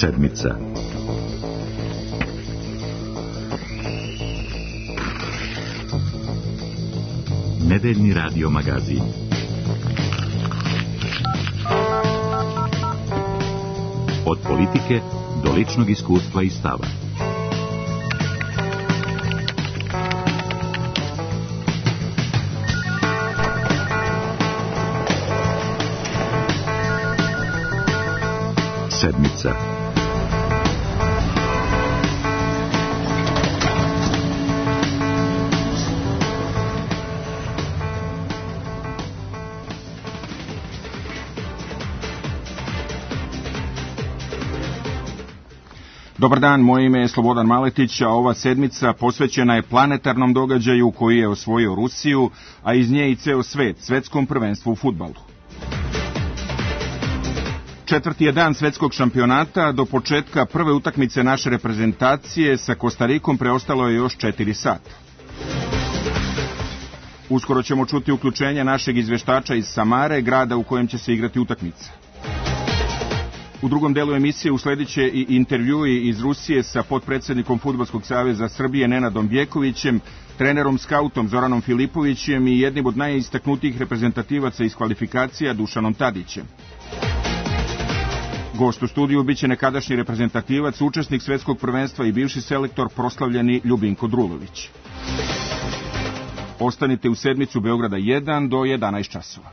Sedmica. Nedeljni radio magazin. Od politike do ličnog iskustva i stava. Sedmica. Dobar dan, moje ime je Slobodan Maletić, a ova sedmica posvećena je planetarnom događaju koji je osvojio Rusiju, a iz nje i ceo svet, svetskom prvenstvu u fudbalu. Četvrti je dan svetskog šampionata, do početka prve utakmice naše reprezentacije sa Kostarikom preostalo je još 4 sata. Uskoro ćemo čuti uključenje našeg izveštača iz Samare, grada u kojem će se igrati utakmica. U drugom delu emisije usledit će i intervjui iz Rusije sa potpredsednikom Fudbalskog saveza Srbije Nenadom Bjekovićem, trenerom skautom Zoranom Filipovićem i jednim od najistaknutijih reprezentativaca iz kvalifikacija Dušanom Tadićem. Gost u studiju biće nekadašnji reprezentativac, učesnik svetskog prvenstva i bivši selektor proslavljeni Ljubinko Drulović. Ostanite u sedmicu Beograda 1 do 11 časova.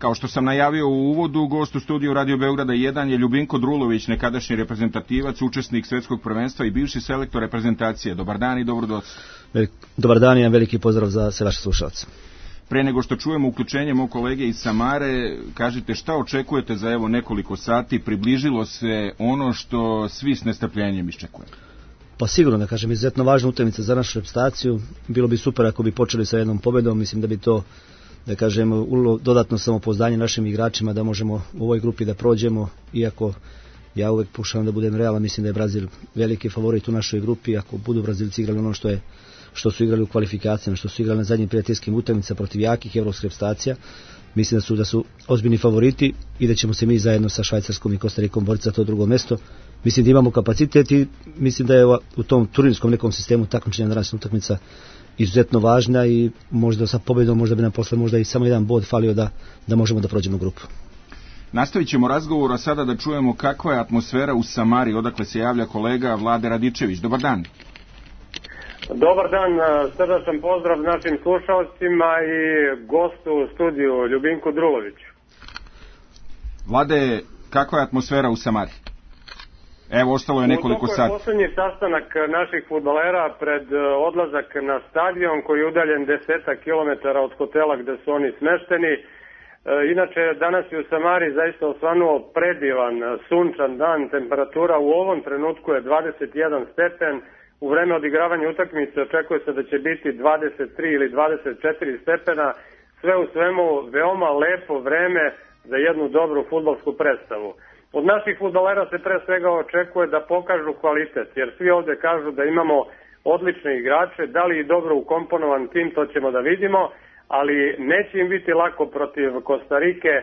Kao što sam najavio u uvodu, gost u studiju Radio Beograda 1 je Ljubinko Drulović, nekadašnji reprezentativac, učesnik svetskog prvenstva i bivši selektor reprezentacije. Dobar dan i dobrodošli. Dobar dan i veliki pozdrav za sve vaše slušalce. Pre nego što čujemo uključenje mog kolege iz Samare, kažite šta očekujete za evo nekoliko sati, približilo se ono što svi s nestrpljenjem iščekujemo. Pa sigurno, da kažem, izuzetno važna utakmica za našu reprezentaciju. Bilo bi super ako bi počeli sa jednom pobedom. Mislim da bi to, da kažem, dodatno samopouzdanje našim igračima da možemo u ovoj grupi da prođemo, iako ja uvek pokušavam da budem realan, mislim da je Brazil veliki favorit u našoj grupi. Ako budu Brazilci igrali ono što su igrali u kvalifikacijama, što su igrali na zadnjim prijateljskim utakmicama protiv jakih evropskih reprezentacija, mislim da su ozbiljni favoriti i da ćemo se mi zajedno sa Švajcarskom i Kostarikom boriti za to drugo mesto. Mislim da imamo kapacitet i mislim da je u tom turnirskom nekom sistemu takmičenja današnja utakmica izuzetno važna i možda sa pobjedom možda bi nam posle možda i samo jedan bod falio da možemo da prođemo grupu. Nastavit ćemo razgovor, a sada da čujemo kakva je atmosfera u Samari, odakle se javlja kolega Vlade Radičević. Dobar dan. Dobar dan, srdačan pozdrav našim slušalcima i gostu u studiju Ljubinku Druloviću. Vlade, kakva je atmosfera u Samari? Evo, ostalo je nekoliko sati. To je poslednji sastanak naših fudbalera pred odlazak na stadion koji je udaljen 10 kilometara od hotela gde su oni smešteni. Inače, danas je u Samari zaista osvanuo predivan, sunčan dan, temperatura u ovom trenutku je 21 stepen, u vreme odigravanja utakmice očekuje se da će biti 23 ili 24 stepena, sve u svemu veoma lepo vreme za jednu dobru fudbalsku predstavu. Od naših fudbalera se pre svega očekuje da pokažu kvalitet, jer svi ovde kažu da imamo odlične igrače, da li i dobro ukomponovan tim, to ćemo da vidimo, ali neće im biti lako protiv Kostarike,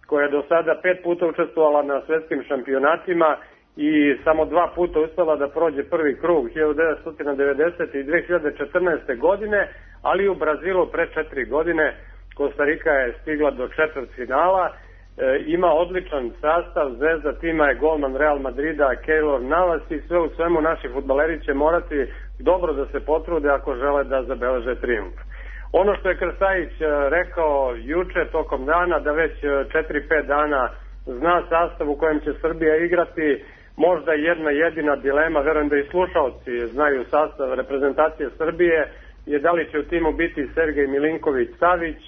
koja je do sada 5 puta učestvovala na svetskim šampionatima i samo 2 puta uspela da prođe prvi krug 1990. i 2014. godine, ali u Brazilu pre 4 godine Kostarika je stigla do četvrtfinala. Ima odličan sastav, zvezda tima je golman Real Madrida Keylor Navas i sve u svemu naši fudbaleri će morati dobro da se potrude ako žele da zabeleže trijumf. Ono što je Krstajić rekao juče tokom dana, da već 4-5 dana zna sastav u kojem će Srbija igrati, možda jedna jedina dilema, verujem da i slušalci znaju sastav reprezentacije Srbije, je da li će u timu biti Sergej Milinković-Savić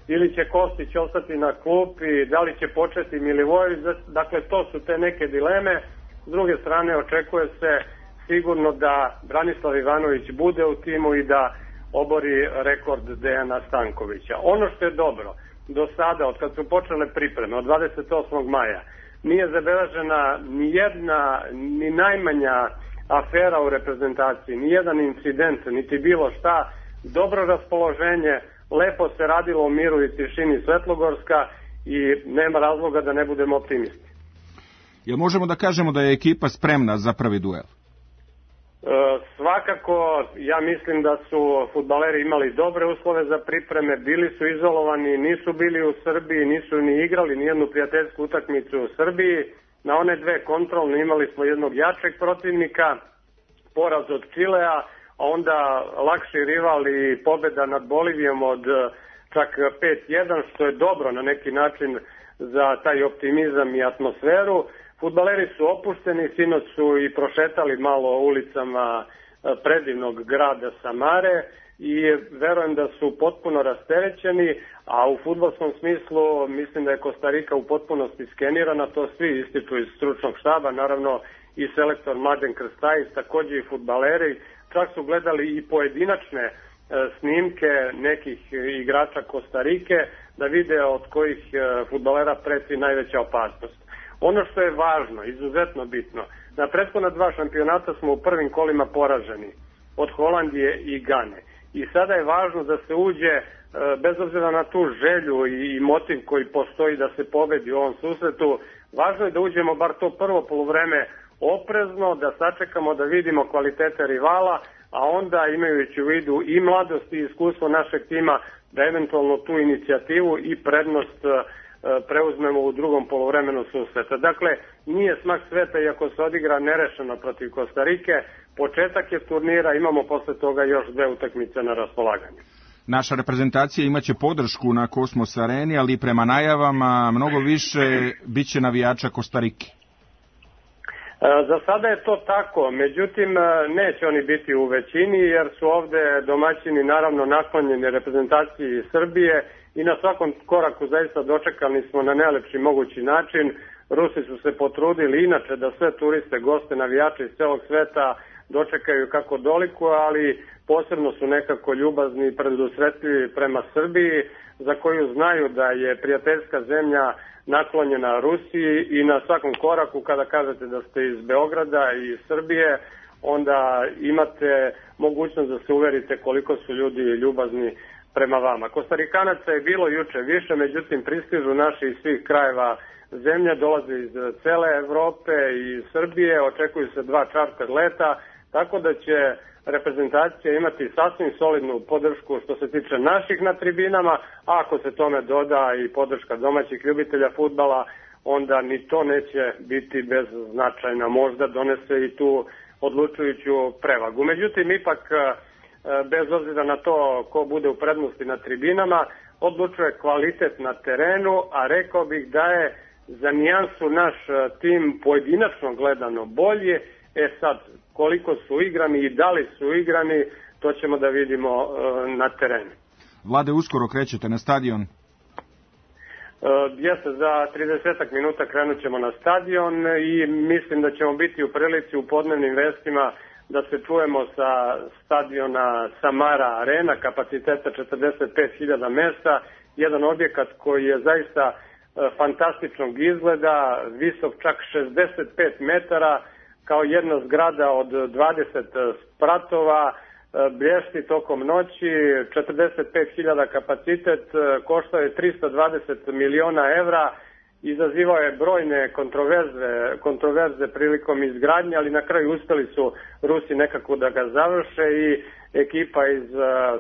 ili će Kostić ostati na klupi, da li će početi Milivojević, dakle to su te neke dileme. S druge strane očekuje se sigurno da Branislav Ivanović bude u timu i da obori rekord Dejana Stankovića. Ono što je dobro, do sada, od kad su počele pripreme, od 28. maja, nije zabeležena ni jedna, ni najmanja afera u reprezentaciji, ni jedan incident, niti bilo šta, dobro raspoloženje, lepo se radilo u miru i tišini Svetlogorska i nema razloga da ne budemo optimisti. Jel možemo da kažemo da je ekipa spremna za prvi duel? Svakako, ja mislim da su fudbaleri imali dobre uslove za pripreme, bili su izolovani, nisu bili u Srbiji, nisu ni igrali nijednu prijateljsku utakmicu u Srbiji. Na one dve kontrolne imali smo jednog jačeg protivnika, poraz od Čilea, a onda lakši rival i pobeda nad Bolivijom od čak 5-1, što je dobro na neki način za taj optimizam i atmosferu. Fudbaleri su opušteni, sinoć su i prošetali malo ulicama predivnog grada Samare i verujem da su potpuno rasterećeni, a u fudbalskom smislu mislim da je Kostarika u potpunosti skenirana, to svi ističu iz stručnog štaba, naravno i selektor Mladen Krstajić, takođe i fudbaleri, čak su gledali i pojedinačne snimke nekih igrača Kostarike da vide od kojih fudbalera preti najveća opasnost. Ono što je važno, izuzetno bitno, na prethodna 2 šampionata smo u prvim kolima poraženi od Holandije i Gane. I sada je važno da se uđe, bez obzira na tu želju i motiv koji postoji da se pobedi u ovom susretu, važno je da uđemo bar to prvo poluvreme oprezno, da sačekamo da vidimo kvalitete rivala, a onda imajući u vidu i mladost i iskustvo našeg tima, da eventualno tu inicijativu i prednost preuzmemo u drugom poluvremenu susreta. Dakle, nije smak sveta iako se odigra nerešeno protiv Kostarike, početak je turnira, imamo posle toga još 2 utakmice na raspolaganju. Naša reprezentacija imaće podršku na Kosmos Areni, ali prema najavama mnogo više biće navijača Kostarike. Za sada je to tako, međutim neće oni biti u većini jer su ovde domaćini naravno naklonjeni reprezentaciji Srbije i na svakom koraku zaista dočekani smo na najlepši mogući način. Rusi su se potrudili inače da sve turiste, goste, navijače iz celog sveta dočekaju kako doliku, ali posebno su nekako ljubazni i predusretljivi prema Srbiji, za koju znaju da je prijateljska zemlja naklonjena Rusiji i na svakom koraku kada kažete da ste iz Beograda i Srbije, onda imate mogućnost da se uverite koliko su ljudi ljubazni prema vama. Kostarikanaca je bilo juče više, međutim pristižu naši iz svih krajeva zemlje, dolaze iz cele Evrope i Srbije, očekuju se 2 čarter leta, tako da će reprezentacija imati sasvim solidnu podršku što se tiče naših na tribinama, a ako se tome doda i podrška domaćih ljubitelja fudbala, onda ni to neće biti beznačajna, možda donese i tu odlučujuću prevagu. Međutim, ipak, bez obzira na to ko bude u prednosti na tribinama, odlučuje kvalitet na terenu, a rekao bih da je za nijansu naš tim pojedinačno gledano bolje. Sad, koliko su igrani i da li su igrani, to ćemo da vidimo na terenu. Vlade, uskoro krećete na stadion? Jeste, za 30 minuta krenut ćemo na stadion i mislim da ćemo biti u prilici u podnevnim vestima da se čujemo sa stadiona Samara Arena, kapaciteta 45.000 mesta, jedan objekat koji je zaista fantastičnog izgleda, visok čak 65 metara, kao jedna zgrada od 20 spratova, blješti tokom noći, 45.000 kapacitet, koštao je 320 miliona evra, izazivao je brojne kontroverze prilikom izgradnje, ali na kraju uspeli su Rusi nekako da ga završe i ekipa iz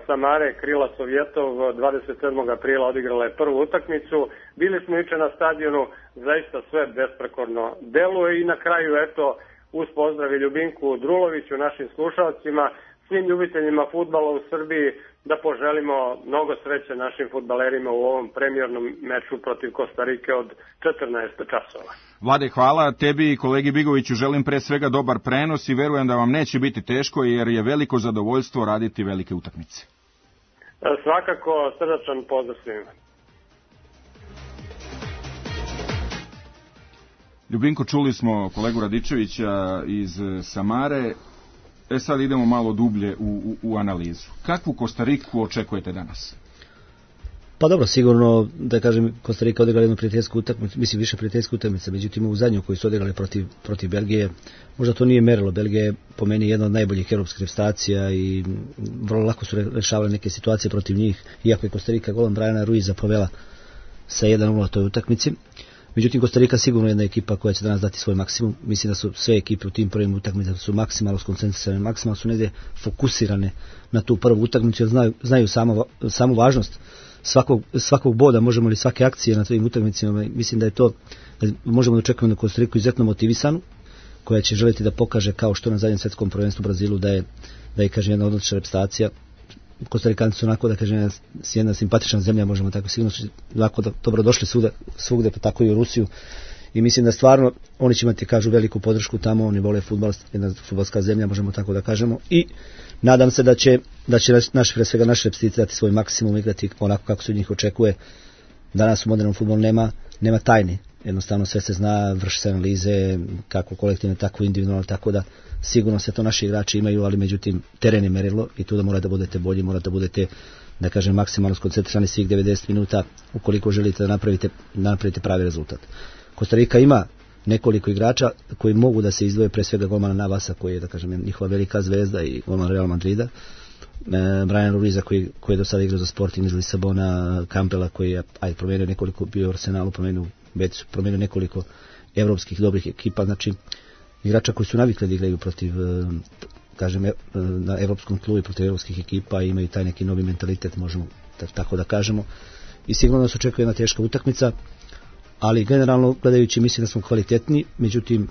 Samare, Krila Sovjetov, 27. aprila odigrala je prvu utakmicu. Bili smo juče na stadionu, zaista sve besprekorno deluje i na kraju, eto, uz pozdrav i Ljubinku Druloviću, našim slušalcima, svim ljubiteljima fudbala u Srbiji, da poželimo mnogo sreće našim fudbalerima u ovom premijernom meču protiv Kostarike od 14 časova. Vlade, hvala. Tebi i kolegi Bigoviću želim pre svega dobar prenos i verujem da vam neće biti teško jer je veliko zadovoljstvo raditi velike utakmice. Svakako, srdačan pozdrav svima. Ljubinko, čuli smo kolegu Radičevića iz Samare. Sad idemo malo dublje u analizu. Kakvu Kostariku očekujete danas? Pa dobro, sigurno, da kažem, Kostarika odigrala jednu prijateljsku utakmicu, mislim više prijateljsku utakmicu, međutim u zadnju koju su odigrali protiv Belgije, možda to nije merilo. Belgija je po meni jedna od najboljih europskih reprezentacija i vrlo lako su rešavali neke situacije protiv njih, iako je Kostarika golom Briana Ruiza povela sa 1-0 toj utakmici. Međutim, Kostarika sigurno je jedna ekipa koja će danas dati svoj maksimum. Mislim da su sve ekipe u tim prvim utakmicama su maksimalno skoncentrisane, maksimalno su negdje fokusirane na tu prvu utakmicu, jer znaju samu važnost svakog boda, možemo li svake akcije na tim utakmicama. Mislim da je to, da možemo da očekujemo na Kostariku izuzetno motivisanu, koja će želiti da pokaže, kao što na zadnjem svjetskom prvenstvu u Brazilu, da je kažem, jedna odlična reprezentacija. Kostarikanci su onako, da kažem, jedna simpatična zemlja, možemo tako, sigurno su onako dobro došli svugde, pa tako i u Rusiju. I mislim da stvarno oni će imati, kažu, veliku podršku tamo, oni vole fudbal, jedna fudbalska zemlja, možemo tako da kažemo. I nadam se da će pre svega naši reprezentacije dati svoj maksimum, igrati onako kako se od njih očekuje. Danas u modernom fudbalu nema tajni. Jednostavno sve se zna, vrši se analize, kako kolektivno, tako individualno, tako da sigurno se to naši igrači imaju, ali međutim teren je merilo i tu da morate da budete bolji, morate da budete, da kažem, maksimalno skoncentrisani svih 90 minuta ukoliko želite da napravite pravi rezultat. Kostarika ima nekoliko igrača koji mogu da se izdvoje, pre svega golmana Navasa koji je, da kažem, njihova velika zvezda i golman Real Madrida, Brian Ruiza koji je do sada igrao za Sporting iz Lisabona, Campbella koji je promenio nekoliko, bio u Arsenalu, promenio nekoliko evropskih dobrih ekipa, znači igrača koji su navikli da igraju protiv, kažem, na evropskom tlu i protiv evropskih ekipa i imaju taj neki novi mentalitet, možemo tako da kažemo. I sigurno nas očekuje jedna teška utakmica, ali generalno gledajući mislim da smo kvalitetni, međutim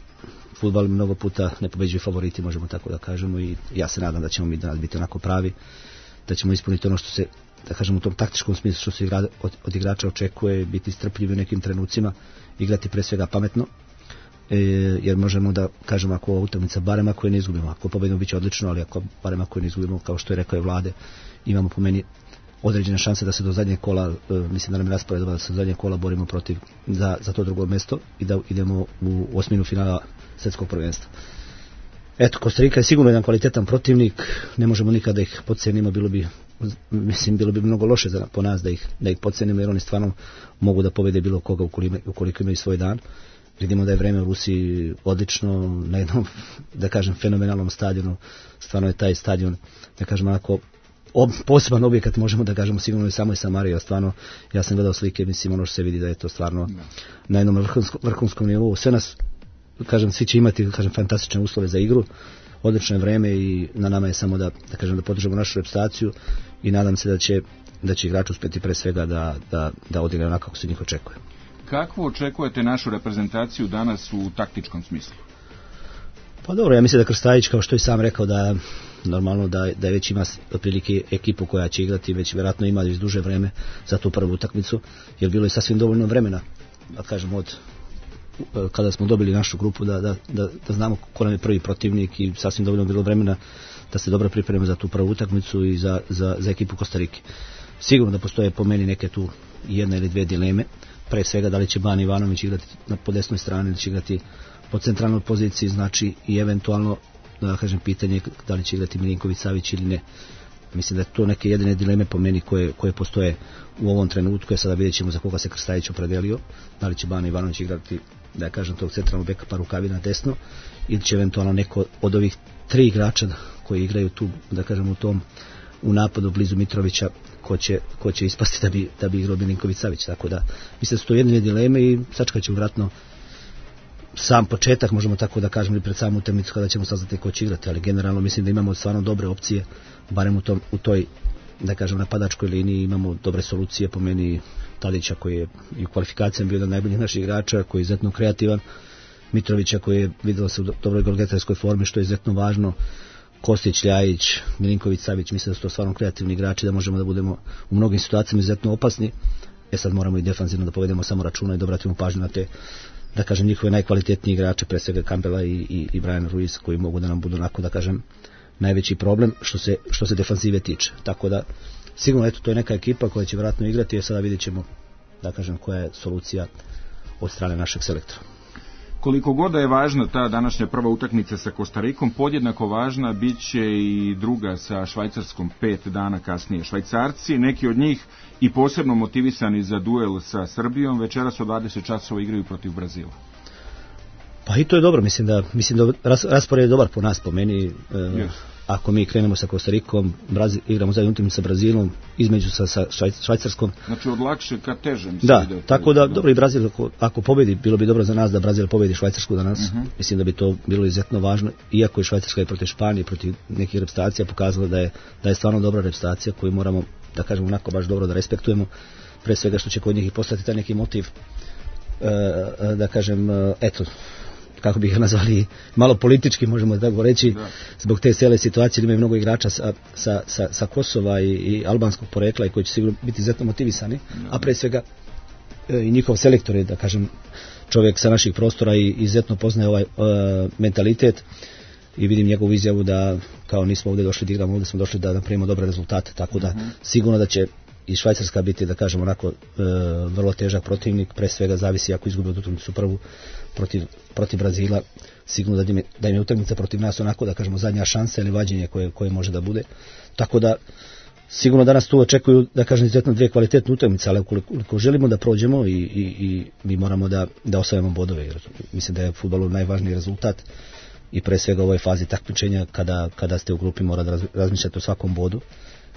fudbal mnogo puta ne pobeđuju favoriti, možemo tako da kažemo, i ja se nadam da ćemo mi danas biti onako pravi, da ćemo ispuniti ono što se, da kažemo, u tom taktičkom smislu što se od igrača očekuje, biti strpljivi u nekim trenucima, igrati pre svega pametno, jer možemo da kažemo, ako ova utakmica, barem ako je ne izgubimo, ako pobedimo biće odlično, ali barem ako je ne izgubimo, kao što je rekao je Vlade, imamo po meni određene šanse da se do zadnjeg kola, mislim da nam je raspored da se do zadnjeg kola borimo protiv za to drugo mesto i da idemo u osminu finala svjetskog prvenstva. Eto, Kostarika je sigurno jedan kvalitetan protivnik, ne možemo nikada da ih podcenimo, bilo bi mnogo loše po nas da ih podcenimo, jer oni stvarno mogu da pobede bilo koga ukoliko imaju svoj dan. Vidimo da je vreme u Rusiji odlično, na jednom, da kažem, fenomenalnom stadionu, stvarno je taj stadion, da kažem, onako, poseban objekat, možemo da kažemo, sigurno i samoj Samari, a stvarno, ja sam gledao slike, mislim, ono što se vidi da je to stvarno na jednom vrhunskom nivou. Sve nas, kažem, svi će imati, kažem, fantastične uslove za igru, odlično je vreme i na nama je samo da podržimo našu reprezentaciju i nadam se da će igrači uspjeti pre svega da odigraju onako kako se njih očekuje. Kakvo očekujete našu reprezentaciju danas u taktičkom smislu? Pa dobro, ja mislim da Krstajić, kao što je sam rekao, da normalno da već ima otprilike ekipu koja će igrati, već vjerojatno ima već duže vreme za tu prvu utakmicu, jer bilo je sasvim dovoljno vremena, da kažem, od kada smo dobili našu grupu da znamo ko nam je prvi protivnik i sasvim dovoljno bilo vremena da se dobro pripremimo za tu prvu utakmicu i za ekipu Kostarike. Sigurno da postoje po meni neke tu jedna ili dve dileme, pre svega da li će Bane Ivanović igrati po desnoj strani ili će igrati po centralnoj poziciji, znači i eventualno, da kažem, pitanje da li će igrati Milinković Savić ili ne. Mislim da je to neke jedine dileme po meni koje postoje u ovom trenutku, sada vidjet ćemo za koga se Krstajić opredelio, da li će Bane Ivanović igrati, da kažem, tog centralnog beka pa Rukavina desno, ili će eventualno neko od ovih tri igrača koji igraju tu, da kažem, u napadu blizu Mitrovića, ko će ispasti da bi igrao Milinković Savić, tako da mislim da su to jedine dileme i sačekat ćemo vratno sam početak, možemo tako da kažemo, i pred samu utakmicu kada ćemo saznati ko će igrati, ali generalno mislim da imamo stvarno dobre opcije, barem u toj, da kažem, napadačkoj liniji imamo dobre solucije, po meni Tadića koji je i u kvalifikacijama bio jedan od najboljih naših igrača, koji je izuzetno kreativan, Mitrovića koji je vidjelo se u dobroj golgetarskoj formi, što je izuzetno važno, Kostić, Ljajić, Milinković Savić, mislim da su to stvarno kreativni igrači, da možemo da budemo u mnogim situacijama izuzetno opasni. Sad moramo i defanzivno da povedemo samo računa i da obratimo pažnju na te, da kažem, njihove najkvalitetnije igrače, pre svega Campbella i Brian Ruiz, koji mogu da nam budu onako, da kažem, najveći problem što se defanzive tiče. Tako da sigurno, eto, to je neka ekipa koja će vjerojatno igrati, jer sada vidjet ćemo, da kažem, koja je solucija od strane našeg selektora. Koliko god da je važna ta današnja prva utakmica sa Kostarikom, podjednako važna bit će i druga sa Švajcarskom 5 dana kasnije. Švajcarci, neki od njih i posebno motivisani za duel sa Srbijom, večeras od 20 časova igraju protiv Brazila. Pa i to je dobro, mislim da raspored je dobar po nas, po meni. Ako mi krenemo sa Kostarikom, igramo zajedno utakmicu sa Brazilom, između sa Švajcarskom. Znači od lakše ka težem. Da, tako da, dobro, i Brazil ako pobedi, bilo bi dobro za nas da Brazil pobedi Švajcarsku danas. Mislim da bi to bilo izuzetno važno, iako je Švajcarska i protiv Španije, protiv nekih reprezentacija pokazala da je stvarno dobra reprezentacija koju moramo, da kažemo, onako baš dobro da respektujemo, pre svega što će kod njih i postati taj neki motiv, da kažem, eto, kako bi ga nazvali, malo politički, možemo tako reći, zbog te cijele situacije, imaju mnogo igrača sa Kosova i albanskog porekla i koji će sigurno biti izuzetno motivisani, a pre svega i njihov selektor je, da kažem, čovjek sa naših prostora i izuzetno poznaje ovaj mentalitet i vidim njegovu izjavu da kao nismo ovdje došli da igramo, ovdje smo došli da napravimo dobre rezultate, tako da sigurno da će i Švajcarska biti, da kažem, onako vrlo težak protivnik, pre svega zavisi ako izgube utakmicu prvu protiv Brazila, sigurno da im je utakmica protiv nas onako, da kažemo, zadnja šansa ili vađenje koje može da bude, tako da sigurno danas tu očekuju, da kažem, izuzetno dvije kvalitetne utakmice, ali ukoliko želimo da prođemo i mi moramo da osvajamo bodove, jer mislim da je fudbalu najvažniji rezultat i pre svega u ovoj fazi takmičenja kada ste u grupi mora da razmišljate o svakom bodu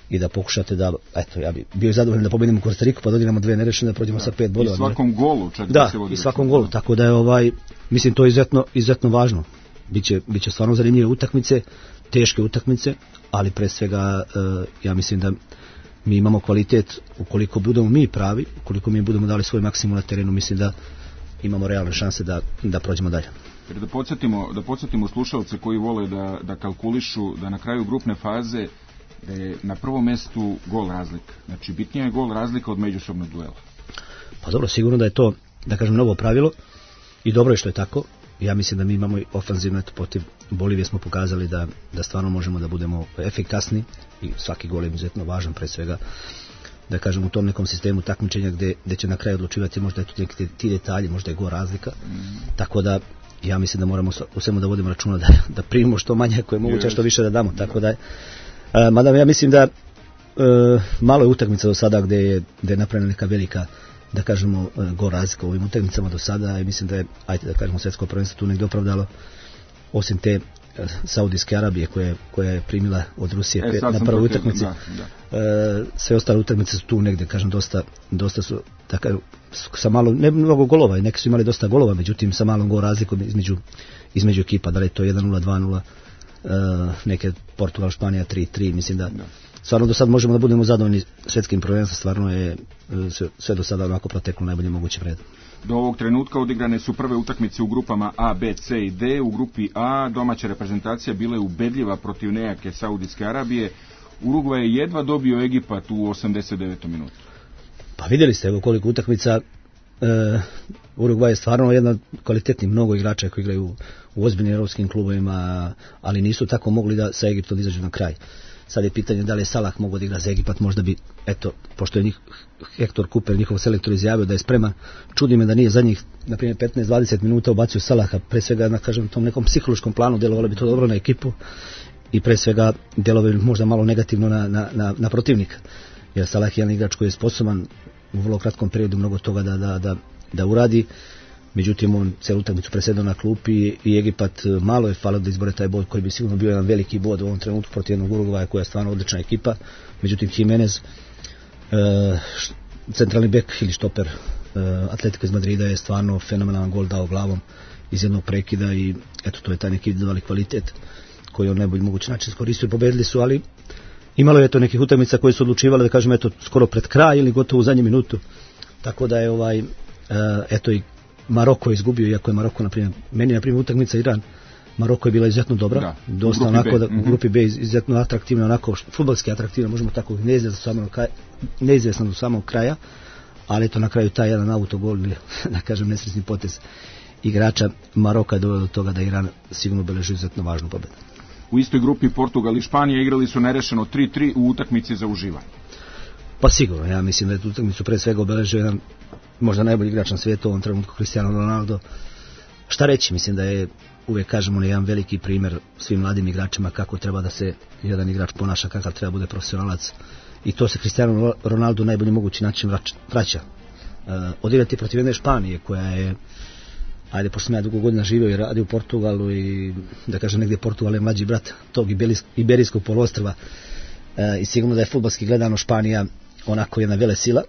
i da pokušate da, eto, ja bi bio zadovoljan da pobedimo Kostariku pa da odigramo dve nerešene, da prođemo sa 5 bodova. I svakom golu čak da se vodi. I svakom golu, tako da je mislim to je izuzetno važno. Biće stvarno zanimljive utakmice, teške utakmice, ali pre svega ja mislim da mi imamo kvalitet, ukoliko budemo mi pravi, ukoliko mi budemo dali svoj maksimum na terenu, mislim da imamo realne šanse da prođemo dalje. Jer da podsjetimo slušalce koji vole da kalkulišu da na kraju grupne faze da je na prvom mjestu gol razlika. Znači bitnija je gol razlika od međusobnog duela. Pa dobro, sigurno da je to, da kažem, novo pravilo i dobro je što je tako. Ja mislim da mi imamo i ofanzivno, protiv Bolivije smo pokazali da stvarno možemo da budemo efikasni i svaki gol je izuzetno važan, pre svega, da kažem, u tom nekom sistemu takmičenja gdje će na kraju odlučivati možda je tu neki ti detalji, možda je gol razlika. Tako da ja mislim da moramo u svemu da vodimo računa da primimo što manje ako je moguće, što više da damo. Tako da, mada ja mislim da malo je utakmica do sada gdje je napravljena neka velika, da kažemo, gol razlika u ovim utakmicama do sada i mislim da je, ajde da kažemo, svjetsko prvenstvo tu negdje opravdalo, osim te Saudijske Arabije koja je primila od Rusije na prvoj utakmici. Sve ostale utakmice su tu negdje, kažem, dosta su tako, sa malo, ne mnogo golova, neki su imali dosta golova, međutim sa malom gol razlikom između ekipa, da li je to 1-0, 2-0, neke Portugal, Španija 3-3, mislim da stvarno do sad možemo da budemo zadovoljni svjetskim prvenstvom, stvarno je sve do sada onako proteklo najbolje moguće vred. Do ovog trenutka odigrane su prve utakmice u grupama A, B, C i D. U grupi A domaća reprezentacija bila je ubedljiva protiv nejake Saudijske Arabije. Urugvaj je jedva dobio Egipat u 89. minutu. Pa vidjeli ste, evo koliko utakmica. Urugvaj je stvarno jedan kvalitetni, mnogo igrača koji igraju u ozbiljnim europskim klubovima, ali nisu tako mogli da sa Egiptom izađu na kraj. Sad je pitanje da li je Salah mogao da igra za Egipat, možda bi, eto, pošto je Hector Cooper, njihov selektor, izjavio da je spreman. Čudi me da nije zadnjih, na primjer, 15-20 minuta ubacio Salaha, pre svega na, kažem, tom nekom psihološkom planu djelovalo bi to dobro na ekipu i pre svega djelovalo bi možda malo negativno na protivnika. Jer Salah je jedan igrač koji je sposoban u vrlo kratkom periodu mnogo toga da uradi. Međutim, on cijelu utakmicu presedao na klupi i Egipat malo je falio da izbore taj bod koji bi sigurno bio jedan veliki bod u ovom trenutku protiv jednog Urugvaja koja je stvarno odlična ekipa. Međutim, Jimenez, centralni bek ili štoper Atletika iz Madrida, je stvarno fenomenalan gol dao glavom iz jednog prekida i eto, to je taj neki individualni kvalitet koji on najbolji mogući način iskoristio. Pobedili su, ali imalo je to nekih utakmica koje su odlučivale, da kažem, eto, skoro pred kraj ili gotovo u zadnju minutu. Tako da je eto i Maroko je izgubio, iako je Maroko, meni utakmica Iran, Maroko je bila izuzetno dobra, dosta onako, u grupi B izuzetno atraktivna, onako fudbalski atraktivna, možemo tako, neizvjesna do samog kraja, ali eto na kraju taj jedan autogol, ili da kažem nesretni potez igrača Maroka je doveo do toga da Iran sigurno beleži izuzetno važnu pobedu. U istoj grupi Portugal i Španija igrali su nerešeno 3-3 u utakmici za uživanje. Pa sigurno, ja mislim da je tu utakmicu pre svega obeležio jedan možda najbolji igrač na svijetu u ovom trenutku, Cristiano Ronaldo. Šta reći, mislim da je, uvijek kažemo, jedan veliki primjer svim mladim igračima kako treba da se jedan igrač ponaša, kakav treba bude profesionalac, i to se Cristiano Ronaldo najbolji mogući način vraća. Odigrati protiv jedne Španije koja je, ajde, pošto sam ja dugo godina živio i radio u Portugalu i da kažem negdje Portugal je mlađi brat tog Iberijskog poluostrva, i sigurno da je fudbalski gledano Španija onako jedna vele sila.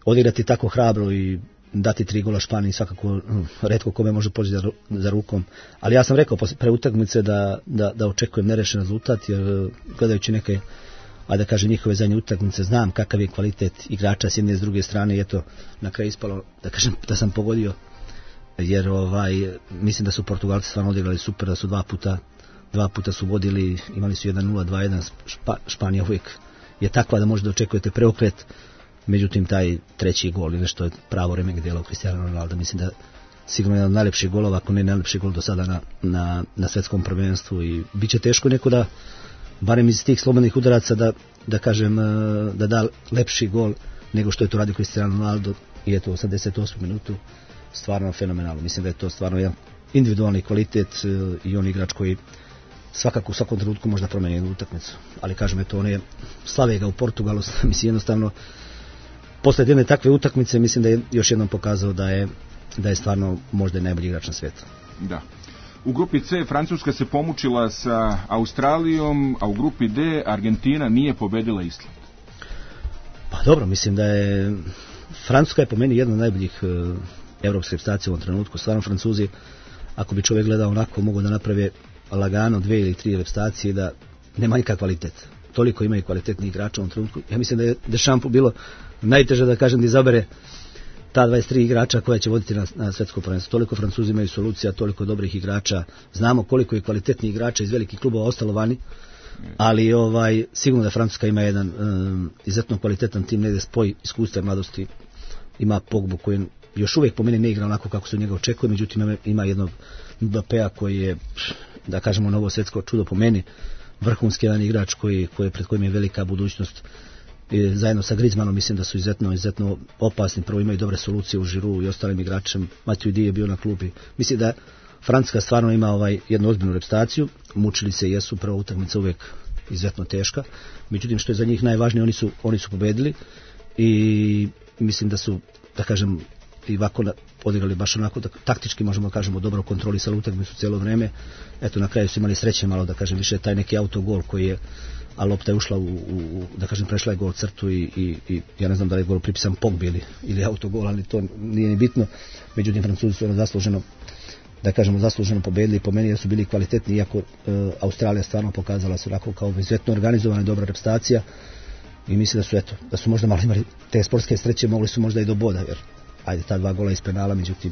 Odigrati tako hrabro i dati 3 gola Španiji svakako retko kome može poći za rukom. Ali ja sam rekao pre utakmice da očekujem nerešen rezultat, jer gledajući neke, ajde da kažem, njihove zadnje utakmice, znam kakav je kvalitet igrača s jedne i s druge strane i eto, na kraju ispalo da kažem da sam pogodio, jer mislim da su Portugalci stvarno odigrali super, da su dva puta su vodili, imali su 1-0, 2-1, Španija uvijek je takva da možda očekujete preokret. Međutim, taj treći gol ili nešto je pravo remek djelo Cristiano Ronaldo. Mislim da sigurno jedan od najlepših golova, ako ne najlepši gol do sada na svjetskom prvenstvu, i bit će teško neko da, barem iz tih slobodnih udaraca, da kažem, da da lepši gol nego što je to radio Cristiano Ronaldo, i eto u 88. minutu stvarno fenomenalno. Mislim da je to stvarno jedan individualni kvalitet i on igrač koji svakako u svakom trenutku možda promeni jednu utakmicu. Ali kažem, eto, on je slave ga u Portugalu, mislim jednostavno posle jedne takve utakmice mislim da je još jednom pokazao da je stvarno možda najbolji igrač na svijetu. Da. U grupi C Francuska se pomučila sa Australijom, a u grupi D Argentina nije pobedila Island. Pa dobro, mislim da je Francuska je po meni jedna od najboljih evropskih reprezentacija u ovom trenutku. Stvarno Francuzi, ako bi čovjek gledao onako, mogu da naprave lagano 2 ili 3 reprezentacije da nema nikakav kvalitet. Toliko imaju kvalitetnih igrača u ovom trenutku. Ja mislim da je Deschampu bilo najteže, da kažem, da izabere ta 23 igrača koja će voditi na svjetsko prvenstvo. Toliko Francuzi imaju solucija, toliko dobrih igrača. Znamo koliko je kvalitetnih igrača iz velikih klubova ostalo vani, ali sigurno da Francuska ima jedan izuzetno kvalitetan tim, negdje spoj iskustva i mladosti. Ima Pogbu koji još uvijek po meni ne igra onako kako se od njega očekuje, međutim ima jednog Mbappéa koji je, da kažemo, novo svjetsko čudo po meni, vrhunski jedan igrač pred kojim je velika budućnost. I zajedno sa Griezmannom mislim da su izuzetno opasni. Prvo imaju dobre solucije u Giroud i ostalim igračem. Mathieu Di je bio na klubi. Mislim da Francuska stvarno ima jednu ozbiljnu reprezentaciju, mučili se i jesu, prva utakmica uvijek izuzetno teška, međutim što je za njih najvažnije, oni su pobedili i mislim da su, da kažem, i ovako odigrali baš onako, taktički možemo da kažemo dobro kontrolisali utakmicu cijelo vrijeme. Eto, na kraju su imali sreće malo, da kažem, više taj neki autogol koji je, a lopta je ušla da kažem, prešla je gol crtu i ja ne znam da li je gol pripisan Pogbi ili autogol, ali to nije ni bitno. Međutim, Francuzi su zasluženo, da kažemo, zasluženo pobedili, po meni da su bili kvalitetni, iako Australija stvarno pokazala se onako kao izuzetno organizovana i dobra reprezentacija i mislim da su možda malo imali te sportske sreće, mogli su možda i do boda, jer ajde, ta 2 gola iz penala, međutim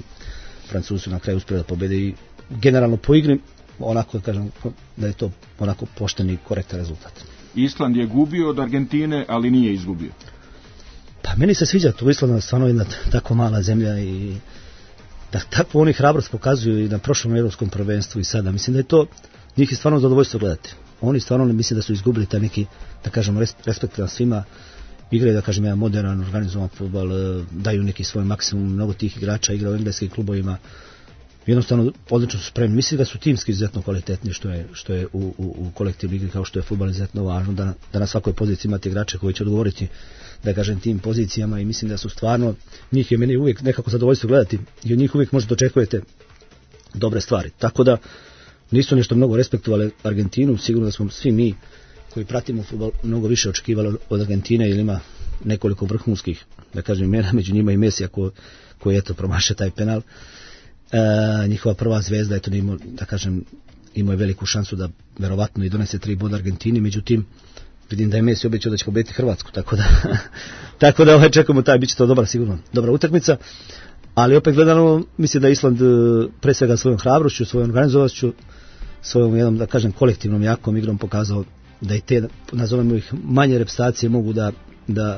Francuzi su na kraju uspjeli da pobede i generalno po igri, onako da kažem da je to onako pošten i korektan rezultat. Island je gubio od Argentine, ali nije izgubio. Pa meni se sviđa to, Island je stvarno jedna tako mala zemlja i da tako oni hrabrost pokazuju i na prošlom evropskom prvenstvu i sada. Mislim da je to njih je stvarno zadovoljstvo gledati. Oni stvarno ne misle da su izgubili taj neki, da kažemo, respekt na svima. Igraju, da kažem, jedan modern, organizovan fudbal, daju neki svoj maksimum, mnogo tih igrača igra u engleskim klubovima. Jednostavno, odlično su spremni. Mislim da su timski izuzetno kvalitetni, što je u kolektivnoj igri, kao što je fudbal izuzetno važno, da na svakoj poziciji imate igrače koji će odgovoriti, da kažem, tim pozicijama i mislim da su stvarno, njih je meni uvijek nekako zadovoljstvo gledati i od njih uvijek možete očekujete dobre stvari. Tako da nisu nešto mnogo respektovali Argentinu, sigurno da smo svi mi koji pratimo fudbal mnogo više očekivali od Argentine, jer ima nekoliko vrhunskih, da kažem, imena, među njima i Mesija koji eto promaše taj penal. Njihova prva zvezda, eto, da kažem, imao je veliku šansu da verovatno i donese 3 boda Argentini, međutim vidim da je Messi obećao da će pobediti Hrvatsku, tako da čekamo bit će to dobra utakmica, ali opet gledano mislim da Island pre svega svojom hrabrošću, svojom organizovanošću, svojom jednom, da kažem, kolektivnom jakom igrom pokazao da i te, nazovemo ih, manje reprezentacije mogu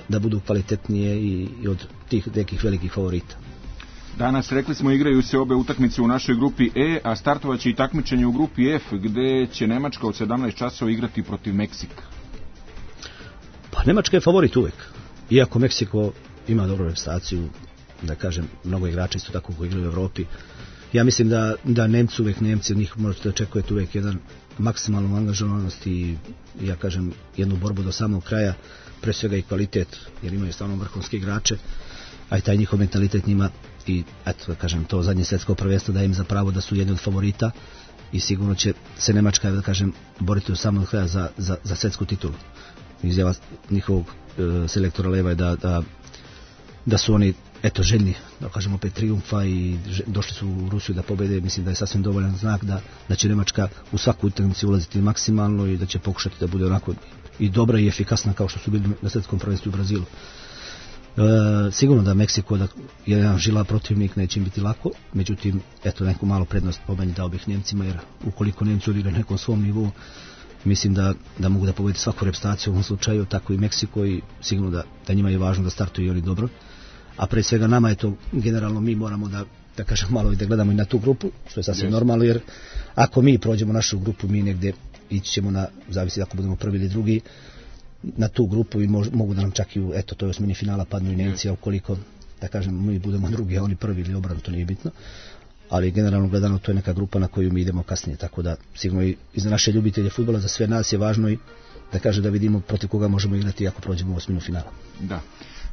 da budu kvalitetnije i od tih nekih velikih favorita. Danas, rekli smo, igraju se obe utakmice u našoj grupi E, a startovaće i takmičenje u grupi F, gde će Nemačka od 17 časova igrati protiv Meksika. Pa Nemačka je favorit uvijek, iako Meksiko ima dobru reprezentaciju, da kažem, mnogo igrača isto tako koji igraju u Evropi. Ja mislim da Nemci uvijek, od njih možete očekujete uvijek jedan maksimalnu angažovanost i, ja kažem, jednu borbu do samog kraja, pre svega i kvalitet, jer imaju stvarno vrhunske igrače, a i taj njihov mentalitet njima i, eto, da kažem, to zadnje svjetsko prvenstvo daje im za pravo da su jedni od favorita i sigurno će se Nemačka, da kažem, boriti do samog kraja za svjetsku titulu. Izjava njihovog selektora Leva je da su oni, eto, željni, da kažemo, opet trijumfa i došli su u Rusiju da pobede. Mislim da je sasvim dovoljan znak da će Nemačka u svaku utakmicu ulaziti maksimalno i da će pokušati da bude onako i dobra i efikasna kao što su bili na svjetskom prvenstvu u Brazilu. Sigurno da Meksiko je jedan žila protivnik, neće im biti lako, međutim, eto, neku malu prednost po meni dao bih Njemcima, jer ukoliko Njemci odigraju nekom svom nivou, mislim da mogu da pobedi svaku reprezentaciju u ovom slučaju, tako i Meksiko, i sigurno da njima je važno da startuju i oni dobro. A pre svega nama je to, generalno mi moramo da kažem malo i da gledamo i na tu grupu, što je sasvim normalno, jer ako mi prođemo našu grupu, mi negdje ići ćemo zavisi ako budemo prvi ili drugi, na tu grupu i mogu da nam čak i u, eto, to je osmini finala padnu i Nemci, a ukoliko, da kažem, mi budemo drugi, a oni prvi ili obranu, to nije bitno. Ali generalno gledano to je neka grupa na koju mi idemo kasnije, tako da sigurno i za naše ljubitelje fudbala, za sve nas je važno i da kaže da vidimo protiv koga možemo igrati ako prođemo u osminu finala. Da.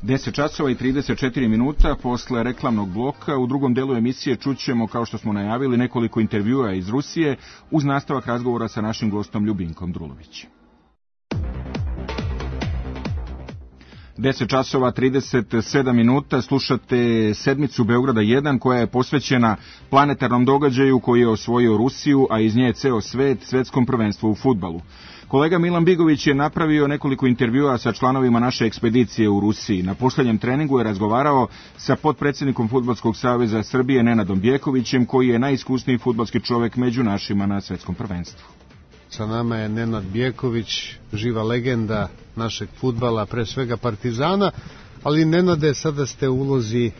10 časova i 34 minuta posle reklamnog bloka. U drugom delu emisije čućemo, kao što smo najavili, nekoliko intervjua iz Rusije uz nastavak razgovora sa našim gostom Ljubinkom Drulovićem. 10 časova 37 minuta, slušate sedmicu Beograda 1 koja je posvećena planetarnom događaju koji je osvojio Rusiju, a iz nje ceo svet, svetskom prvenstvu u fudbalu. Kolega Milan Bigović je napravio nekoliko intervjua sa članovima naše ekspedicije u Rusiji. Na posljednjem treningu je razgovarao sa potpredsjednikom Fudbalskog saveza Srbije Nenadom Bjekovićem, koji je najiskusniji fudbalski čovjek među našima na svetskom prvenstvu. Sa nama je Nenad Bjeković, živa legenda našeg fudbala, pre svega Partizana, ali Nenade, sada ste u ulozi,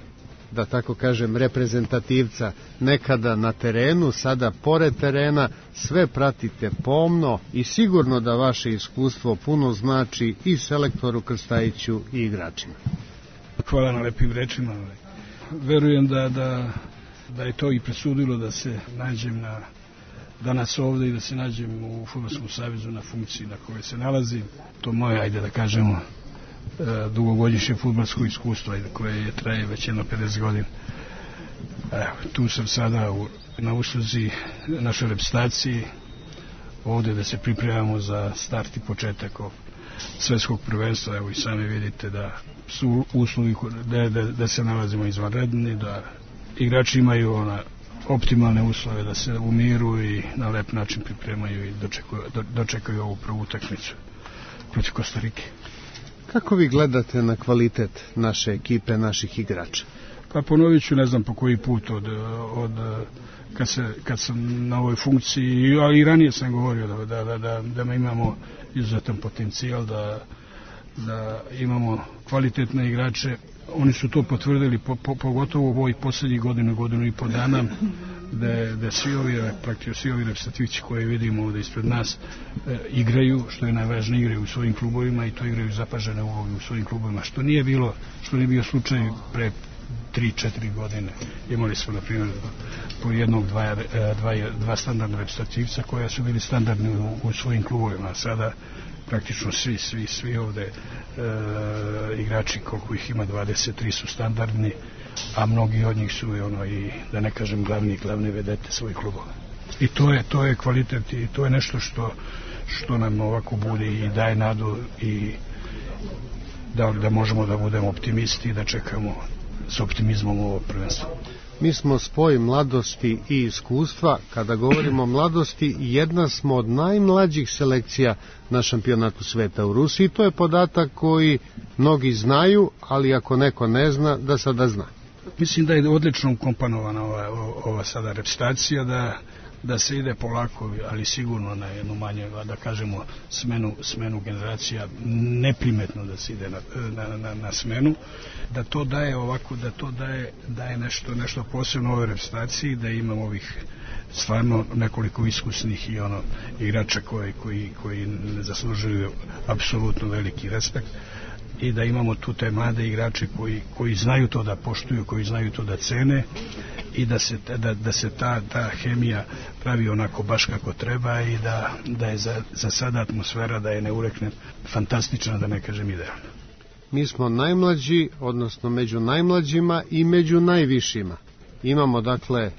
da tako kažem, reprezentativca, nekada na terenu, sada pored terena, sve pratite pomno i sigurno da vaše iskustvo puno znači i selektoru Krstajiću i igračima. Hvala na lepim rečima. Verujem da da je to i presudilo da se nađem danas ovde i da se nađem u Fudbalskom savezu na funkciji na kojoj se nalazim. To moje, ajde da kažemo, dugogodišnje fudbalsko iskustvo koje traje već jedno 50 godina. Tu sam sada na usluzi našoj reprezentaciji ovde da se pripremamo za start i početak svetskog prvenstva. Evo i sami vidite da su uslovi da se nalazimo izvanredni, da igrači imaju optimalne uslove da se u miru i na lep način pripremaju i dočekaju ovu prvu utakmicu protiv Kostarike. Kako vi gledate na kvalitet naše ekipe, naših igrača? Pa ponovit ću, ne znam po koji put kad sam na ovoj funkciji, ali i ranije sam govorio da imamo izuzetan potencijal, da imamo kvalitetne igrače. Oni su to potvrdili, pogotovo u ovoj poslednjih godinu i po dana, da svi ovi reprezentativci koje vidimo ovde ispred nas igraju, što je najvažnije, igraju u svojim klubovima i to igraju zapažene uloge u svojim klubovima, što nije bio slučaj pre 3-4 godine. Imali smo, na primjer, po dva standardna reprezentativca koja su bili standardni u svojim klubovima, a sada praktično svi ovde igrači, koliko ih ima, 23 su standardni, a mnogi od njih su i da ne kažem glavne vedete svojih klubova. I to je kvalitet i to je nešto što nam ovako budi i daje nadu i da možemo da budemo optimisti i da čekamo s optimizmom ovo prvenstvo. Mi smo spoj mladosti i iskustva. Kada govorimo o mladosti, jedna smo od najmlađih selekcija na šampionatu sveta u Rusiji. To je podatak koji mnogi znaju, ali ako neko ne zna, da sada zna. Mislim da je odlično ukompanovana ova sada reprezentacija, da se ide polako, ali sigurno na jednu manje, da kažemo, smenu generacija, neprimetno da se ide na smenu, da to daje ovako, da to daje nešto posebno ovoj reprezentaciji, da imamo ovih stvarno nekoliko iskusnih i igrača koji zaslužuju apsolutno veliki respekt i da imamo tu te mlade igrače koji znaju to da poštuju, koji znaju to da cene i da se ta hemija pravi onako baš kako treba i da je za sada atmosfera, da je neurekne fantastična, da ne kažem idealna. Mi smo najmlađi, odnosno među najmlađima i među najvišima. Imamo dakle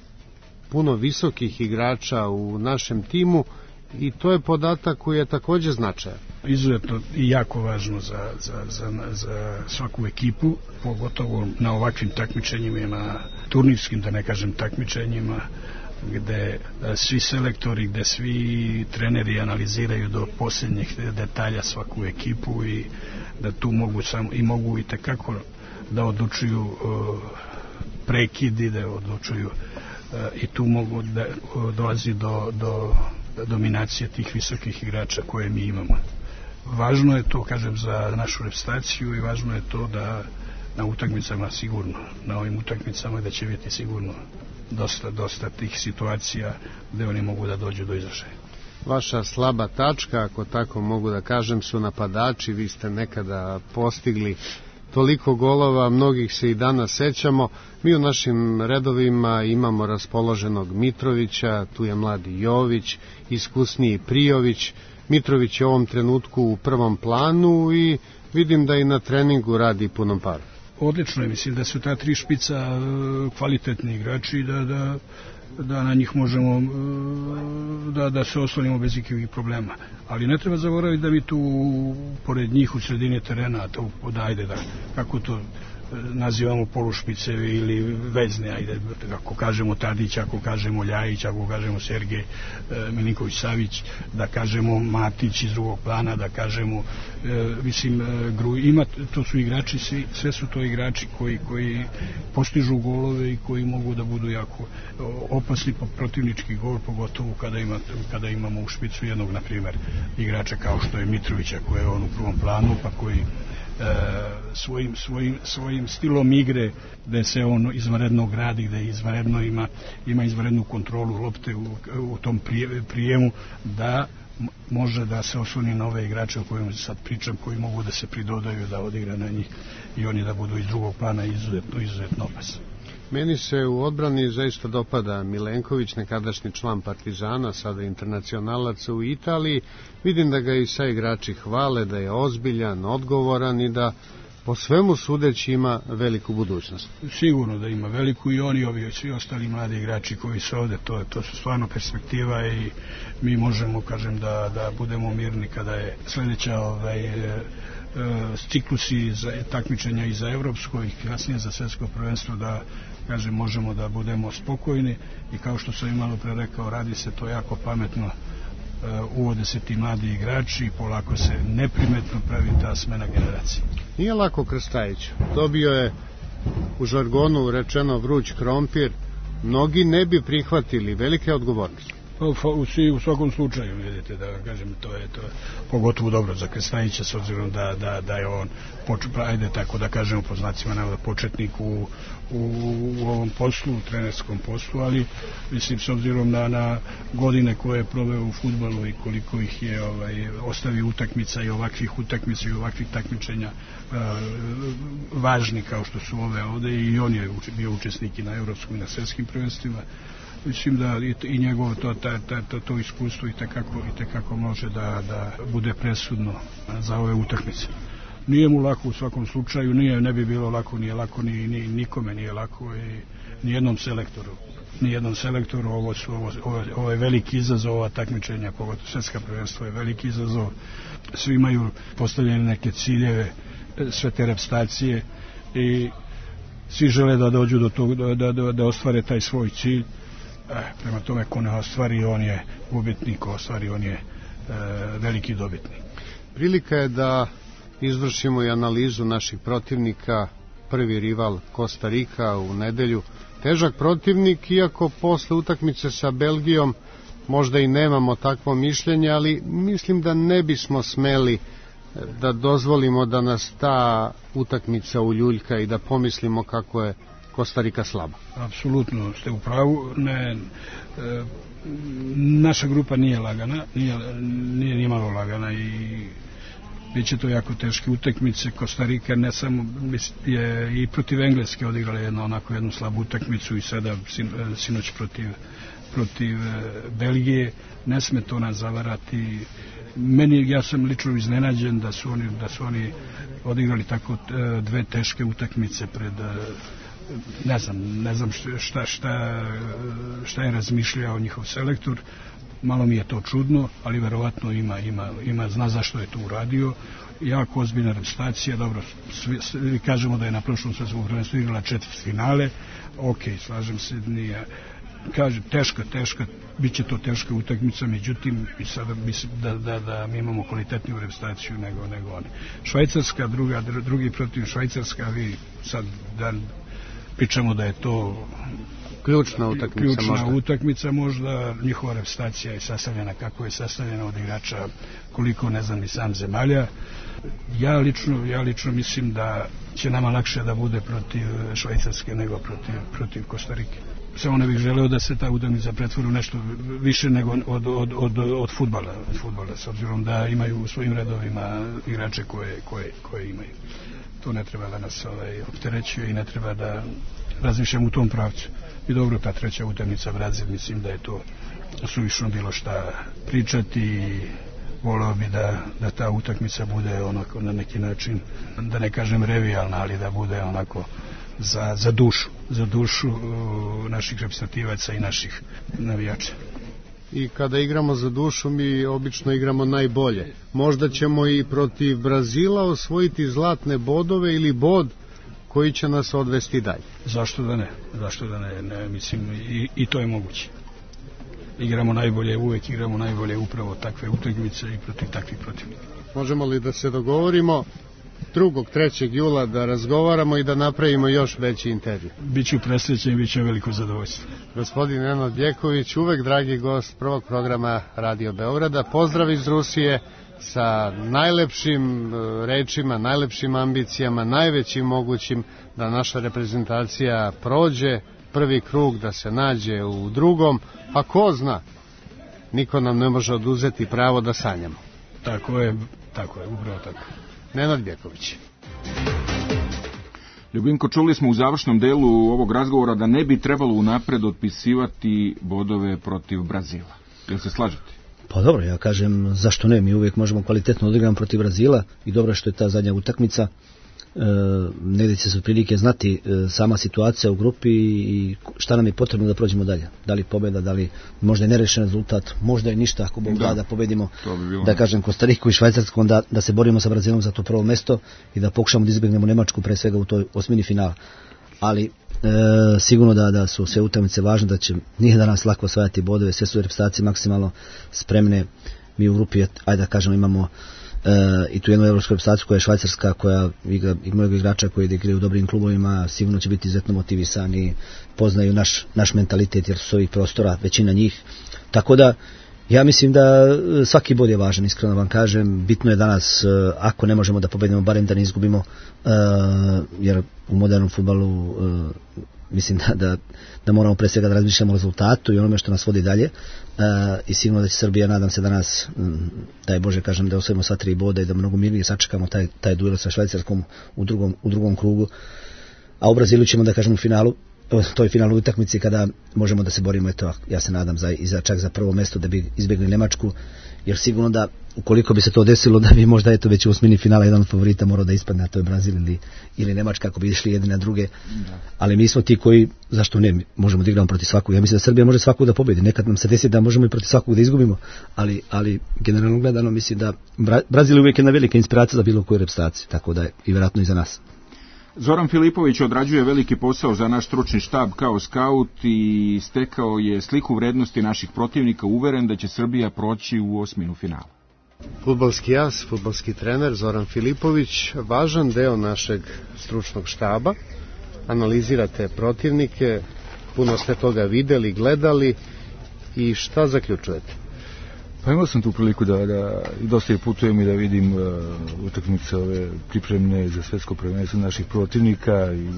puno visokih igrača u našem timu i to je podatak koji je također značajan. Izuzetno i jako važno za svaku ekipu, pogotovo na ovakvim takmičenjima, na turnirskim, da ne kažem takmičenjima, gde svi selektori, gde svi treneri analiziraju do posljednjih detalja svaku ekipu i da tu mogu i tekako da odlučuju prekidi, da odlučuju i tu mogu da dolazi do dominacije tih visokih igrača koje mi imamo. Važno je to, kažem, za našu reprezentaciju i važno je to da na utakmicama sigurno, na ovim utakmicama da će biti sigurno dosta tih situacija gde oni mogu da dođu do izražaja. Vaša slaba tačka, ako tako mogu da kažem, su napadači. Vi ste nekada postigli toliko golova, mnogih se i danas sećamo. Mi u našim redovima imamo raspoloženog Mitrovića, tu je mladi Jović, iskusniji Prijović. Mitrović je u ovom trenutku u prvom planu i vidim da i na treningu radi punom paru. Odlično je, mislim da su ta tri špica kvalitetni igrači, da na njih možemo da se oslonimo bez ikakvih problema. Ali ne treba zaboraviti da mi tu pored njih u sredini terena, kako to nazivamo polušpice ili vezne, ajde, ako kažemo Tadić, ako kažemo Ljajić, ako kažemo Sergej Milinković-Savić, da kažemo Matić iz drugog plana, da kažemo to su igrači, sve su to igrači koji postižu golove i koji mogu da budu jako opasni po protivnički gol, pogotovo kada imamo u špicu jednog, na primjer, igrača kao što je Mitrovića, koji je on u prvom planu, pa koji svojim stilom igre, gde se on izvanredno gradi, gde izvanredno ima izvanrednu kontrolu lopte u tom prijemu, da može da se osloni na ove igrače o kojima sad pričam, koji mogu da se pridodaju, da odigra na njih i oni da budu iz drugog plana izuzetno opasni. Meni se u odbrani zaista dopada Milenković, nekadašnji član Partizana, sada internacionalac u Italiji. Vidim da ga i sa igrači hvale, da je ozbiljan, odgovoran i da po svemu sudeći ima veliku budućnost. Sigurno da ima veliku i oni, ovi svi ostali mladi igrači koji su ovde, to su stvarno perspektiva i mi možemo, kažem, da budemo mirni kada je sledeća ciklusi za takmičenja i za evropsko i kasnije za svetsko prvenstvo, da kažem možemo da budemo spokojni i kao što sam i malo pre rekao, radi se to jako pametno, uvode se ti mladi igrači i polako se neprimetno pravi ta smena generacije. Nije lako Krstajiću, dobio je u žargonu rečeno vruć krompir, mnogi ne bi prihvatili, velike odgovornosti. U svakom slučaju, vidite, da kažem, to je pogotovo dobro za Krstajića, s obzirom da je on, ajde tako da kažemo po znacima navoda, početnik u ovom poslu, u trenerskom poslu, ali mislim s obzirom na godine koje je proveo u fudbalu i koliko ih je ostavio utakmica i ovakvih utakmica i ovakvih takmičenja važni kao što su ove ovde, i on je bio učesnik i na evropskom i na svetskim prvenstvima. Mislim da i njegovo to iskustvo i tekako može da bude presudno za ove utakmice. Nije mu lako u svakom slučaju, ne bi bilo lako, nije lako nikome, nije lako i nijednom selektoru. Ovo je veliki izazov, ova takmičenja, pogotovo svetska prvenstva je veliki izazov. Svi imaju postavljene neke ciljeve, sve te reprezentacije i svi žele da dođu do toga, da ostvare taj svoj cilj. Prema tome, ko ne ostvari, on je gubitnik, ko ostvari, on je veliki dobitnik. Prilika je da izvršimo i analizu naših protivnika. Prvi rival Kostarika u nedelju. Težak protivnik, iako posle utakmice sa Belgijom možda i nemamo takvo mišljenje, ali mislim da ne bismo smeli da dozvolimo da nas ta utakmica uljuljka i da pomislimo kako je Kostarika slaba. Apsolutno ste u pravu. Naša grupa nije lagana, nije nimalo lagana i biće to jako teške utakmice. Kostarika ne samo je i protiv Engleske odigrala jednu slabu utakmicu i sada sinoć protiv Belgije. Ne sme to nas zavarati. Ja sam lično iznenađen da su oni odigrali tako dve teške utakmice pred ne znam šta je razmišljao njihov selektor. Malo mi je to čudno, ali verovatno zna zašto je to uradio. Jako ozbiljna reprezentacija. Dobro, svi kažemo da je na prošlom svetskom prvenstvu igrala četvrtfinale. Ok, slažem se, nije. Kažem, teška, bit će to teška utakmica, međutim, sada mislim da mi imamo kvalitetniju reprezentaciju nego oni. Švajcarska, drugi protiv Švajcarska, vi sad pričamo da je to ključna utakmica možda. Njihova reprezentacija je sastavljena kako je sastavljena od igrača, koliko ne znam ni sam zemalja. Ja lično mislim da će nama lakše da bude protiv Švajcarske nego protiv Kostarike. Samo ne bih želeo da se ta utakmica pretvori u nešto više nego od fudbala, s obzirom da imaju u svojim redovima igrače koje imaju. To ne treba da nas opterećuje i ne treba da razmišljamo u tom pravcu. I dobro, ta treća utakmica Brazil, mislim da je to suvišno bilo šta pričati i voleo bi da ta utakmica bude onako na neki način, da ne kažem revijalna, ali da bude onako za dušu naših reprezentativaca i naših navijača. I kada igramo za dušu, mi obično igramo najbolje. Možda ćemo i protiv Brazila osvojiti zlatne bodove ili bod koji će nas odvesti dalje. Zašto da ne? Mislim, i to je moguće. Uvek igramo najbolje upravo takve utakmice i protiv takvih protivnika. Možemo li da se dogovorimo 2. 3. jula da razgovaramo i da napravimo još veći intervju? Biću presrećen i biće veliko zadovoljstvo. Gospodin Nenad Bjeković, uvek dragi gost prvog programa Radio Beograda. Pozdrav iz Rusije sa najlepšim rečima, najlepšim ambicijama, najvećim mogućim da naša reprezentacija prođe prvi krug, da se nađe u drugom, a ko zna, niko nam ne može oduzeti pravo da sanjamo. Tako je, upravo tako. Nenad Bjeković. Ljubinko, čuli smo u završnom delu ovog razgovora da ne bi trebalo unapred otpisivati bodove protiv Brazila. Jel se slažete? Pa dobro, ja kažem zašto ne, mi uvijek možemo kvalitetno odigrati protiv Brazila i dobro što je ta zadnja utakmica. Negdje će se otprilike znati sama situacija u grupi i šta nam je potrebno da prođemo dalje. Da li pobjeda, da li možda je nerešen rezultat, možda je ništa ako Bog da pobedimo, da kažem Kostariku i Švajcarsku, onda da se borimo sa Brazilom za to prvo mesto i da pokušamo da izbjegnemo Nemačku pre svega u toj osmini finala. Ali sigurno da su sve utakmice važne, da će nije danas lako osvajati bodove, sve su reprezentacije maksimalno spremne. Mi u grupi, ajde da kažemo, imamo i tu jednu evropsku reprezentaciju koja je Švajcarska, koja igra mnogo igrača koji igraju u dobrim klubovima, sigurno će biti izuzetno motivisani, poznaju naš mentalitet jer su s ovih prostora većina njih. Tako da ja mislim da svaki bod je važan, iskreno vam kažem. Bitno je danas, ako ne možemo da pobedimo, barem da ne izgubimo, jer u modernom fudbalu mislim da moramo pre svega da razmišljamo o rezultatu i onome što nas vodi dalje. I sigurno da će Srbija, nadam se danas, daj Bože kažem, da osvojimo sva 3 boda i da mnogo mirnije sačekamo taj duel sa Švajcarskom u drugom krugu. A u Brazilu ćemo da kažem u finalu, toj finalnoj utakmici kada možemo da se borimo, eto, ja se nadam čak za prvo mesto da bi izbjegli Nemačku, jer sigurno da ukoliko bi se to desilo da bi možda eto već u osmini finala jedan od favorita morao da ispadne, a to je Brazil ili Nemačka, ako bi išli jedni na druge. Ali mi smo ti koji, zašto ne, možemo da igramo protiv svakog. Ja mislim da Srbija može svakog da pobedi. Nekad nam se desi da možemo i protiv svakog da izgubimo, ali generalno gledano mislim da Brazil uvijek je na velika inspiracija za bilo koju reprezentaciju, tako da je i vjerojatno i za nas. Zoran Filipović odrađuje veliki posao za naš stručni štab kao skaut i stekao je sliku vrednosti naših protivnika, uveren da će Srbija proći u osminu finala. Fudbalski jas, fudbalski trener Zoran Filipović, važan deo našeg stručnog štaba. Analizirate protivnike, puno ste toga videli, gledali i šta zaključujete? Pa imao sam tu priliku da dosta je putujem i da vidim utakmice ove pripremne za svetsko prvenstvo naših protivnika i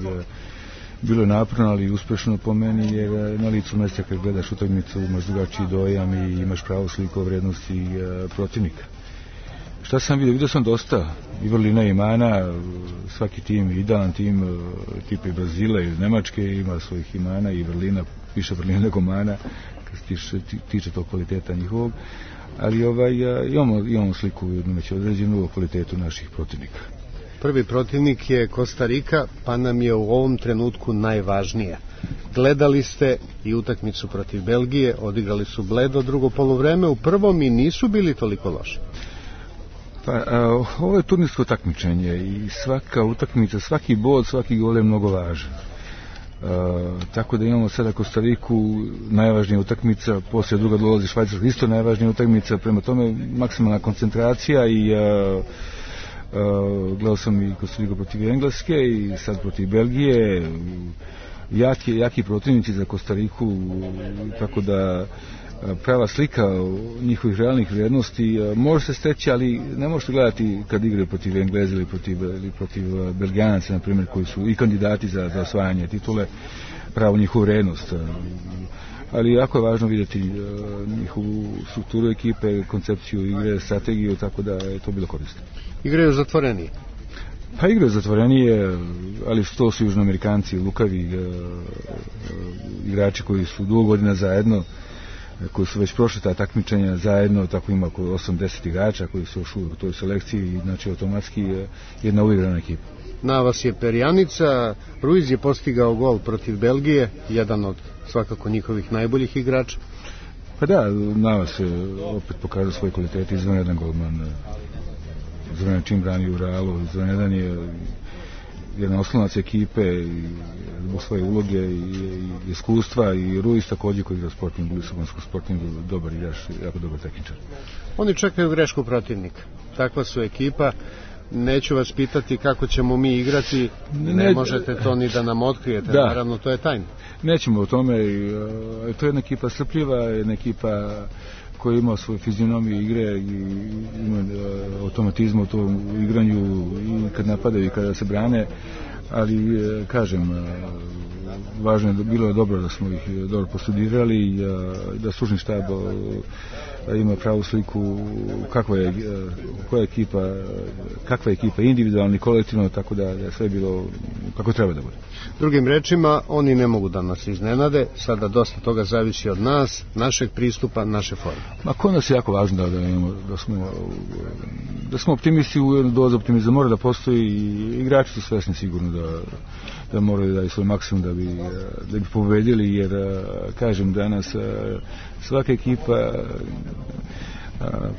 bilo je naporno, ali uspešno po meni, jer na licu mesta kad gledaš utakmicu imaš drugačiji dojam i imaš pravu sliku o vrednosti protivnika. Šta sam vidio? Vidio sam dosta i vrlina i imana, svaki tim, idealan tim tipa i Brazila i Nemačke ima svojih imana i vrlina, više vrlina nego mana kad se tiče tog kvaliteta njihovog, ali imamo sliku već određenu o kvalitetu naših protivnika. Prvi protivnik je Kostarika, pa nam je u ovom trenutku najvažnija. Gledali ste i utakmicu protiv Belgije, odigrali su bledo drugo poluvreme, u prvom i nisu bili toliko loši. Pa, ovo je turnirsko takmičenje i svaka utakmica, svaki bod, svaki gol je mnogo važan. Tako da imamo sada Kostariku, najvažnija utakmica, poslije druga dolazi Švajcarska, isto najvažnija utakmica, prema tome maksimalna koncentracija i gledao sam i Kostariku protiv Engleske i sad protiv Belgije, jaki protivnici za Kostariku, tako da prava slika njihovih realnih vrijednosti može se steći, ali ne možete gledati kad igraju protiv Engleza ili protiv Belgijanaca, na primjer, koji su i kandidati za osvajanje titule, pravu njihovu vrijednost. Ali jako je važno vidjeti njihovu strukturu ekipe, koncepciju igre, strategiju, tako da je to bilo korisno. Igraju zatvorenije? Pa igraju zatvorenije, ali to su Južnoamerikanci, lukavi igrači koji su dugo godina zajedno, koji su već prošli ta takmičenja zajedno, tako ima oko 80 igrača koji su još u toj selekciji, znači automatski jedna uigrana ekipa. Na vas je perjanica, Ruiz je postigao gol protiv Belgije, jedan od svakako njihovih najboljih igrača. Pa da, na vas je opet pokazao svoj kvalitet, izvanredan golman, izvanredan čim brani u Realu, izvanredan je jedan oslonac ekipe zbog svoje uloge i iskustva, i Ruiz također koji igra Sporting, Lisabonskog Sportingu, dobar igrač, jako dobar tehničar. Oni čekaju grešku protivnika, takva su ekipa. Neću vas pitati kako ćemo mi igrati, ne možete to ni da nam otkrijete, da. Naravno to je tajna. Nećemo o tome, to je jedna ekipa strpljiva, jedna ekipa koja ima svoju fizionomiju igre i ima automatizmu u tom igranju i kad napadaju i kada se brane. ali kažem, važno je, bilo je dobro da smo ih dobro postudirali, da stručni štab ima pravu sliku kakva je ekipa individualno i kolektivno, tako da je sve bilo kako treba da bude. Drugim rečima, oni ne mogu da nas iznenade, sada dosta toga zavisi od nas, našeg pristupa, naše forme. Ma kod nas je jako važno da smo optimisti, u jednu dozu optimizma mora da postoji i igrači su svesni sigurno da moraju da daju svoj maksimum da bi pobedili, jer kažem danas svaka ekipa,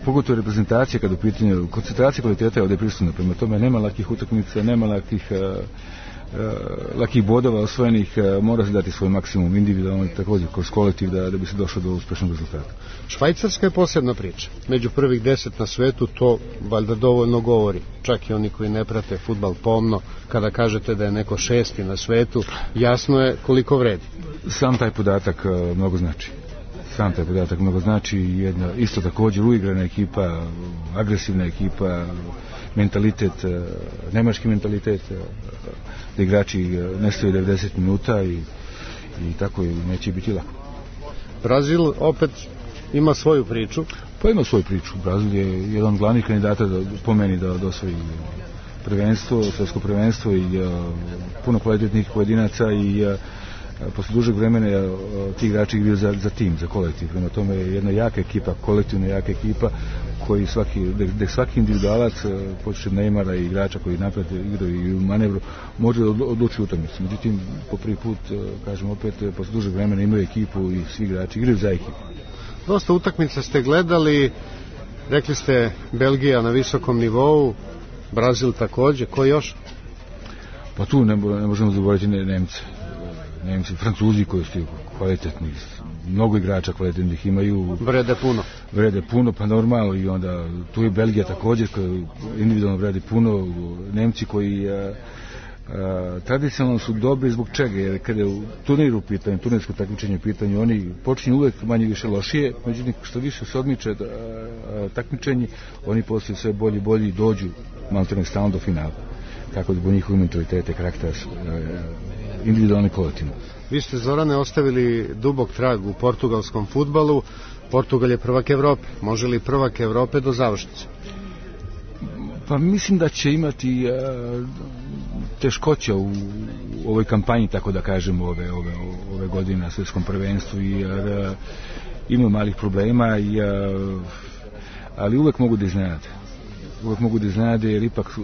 pogotovo reprezentacija kada u pitanju koncentracija kvaliteta je ovdje prisutna, prema tome nema lakih utakmica, nema lakih bodova osvojenih, mora se dati svoj maksimum individualno i također kroz kolektiv da bi se došlo do uspešnog rezultata. Švajcarska je posebna priča. Među prvih 10 na svetu to valjda dovoljno govori. Čak i oni koji ne prate fudbal pomno, kada kažete da je neko 6. na svetu, jasno je koliko vredi. Sam taj podatak mnogo znači, jedna isto također uigrana ekipa, agresivna ekipa, mentalitet, nemački mentalitet, da igrači ne stoje 90 minuta i tako neće biti lako. Brazil opet ima svoju priču. Pa ima svoju priču. Brazil je jedan od glavnih kandidata po meni da osvoji prvenstvo, svjetsko prvenstvo i puno kvalitetnih pojedinaca i posle dužeg vremena ti igrači igraju za tim, za kolektiv. Prema tome je jedna jaka ekipa, kolektivna jaka ekipa koji svaki individualac, počeši Neymara i igrača koji napred igraju i u manevru, može odlučiti utakmicu. Međutim, po prvi put, kažem opet, posle dužeg vremena imaju ekipu i svi igrači igraju za ekipu. Dosta utakmica ste gledali, rekli ste Belgija na visokom nivou, Brazil također, ko još? Pa tu ne možemo zaboraviti Nemci, Francuzi koji su kvalitetni, mnogo igrača kvalitetnih imaju. Vrede puno, pa normalno, i onda tu je Belgija također koji individualno vredi puno, Nemci koji tradicionalno su dobri zbog čega, jer kada je u turniru u pitanju, turnirsko takmičenje u pitanju, oni počinju uvek manje više lošije, međutim što više se odmiče takmičenje, oni postaju sve bolji i dođu maltene stalno do finala. Tako da bo njihovi mentalitete, karakter, individualni kolektivno. Vi ste, Zorane, ostavili dubok trag u portugalskom fudbalu. Portugal je prvak Evrope. Može li prvak Evrope do završnice? Pa mislim da će imati teškoća u ovoj kampanji, tako da kažem, ove godine na svjetskom prvenstvu, jer ima malih problema, ali uvek mogu da iznenade, jer ipak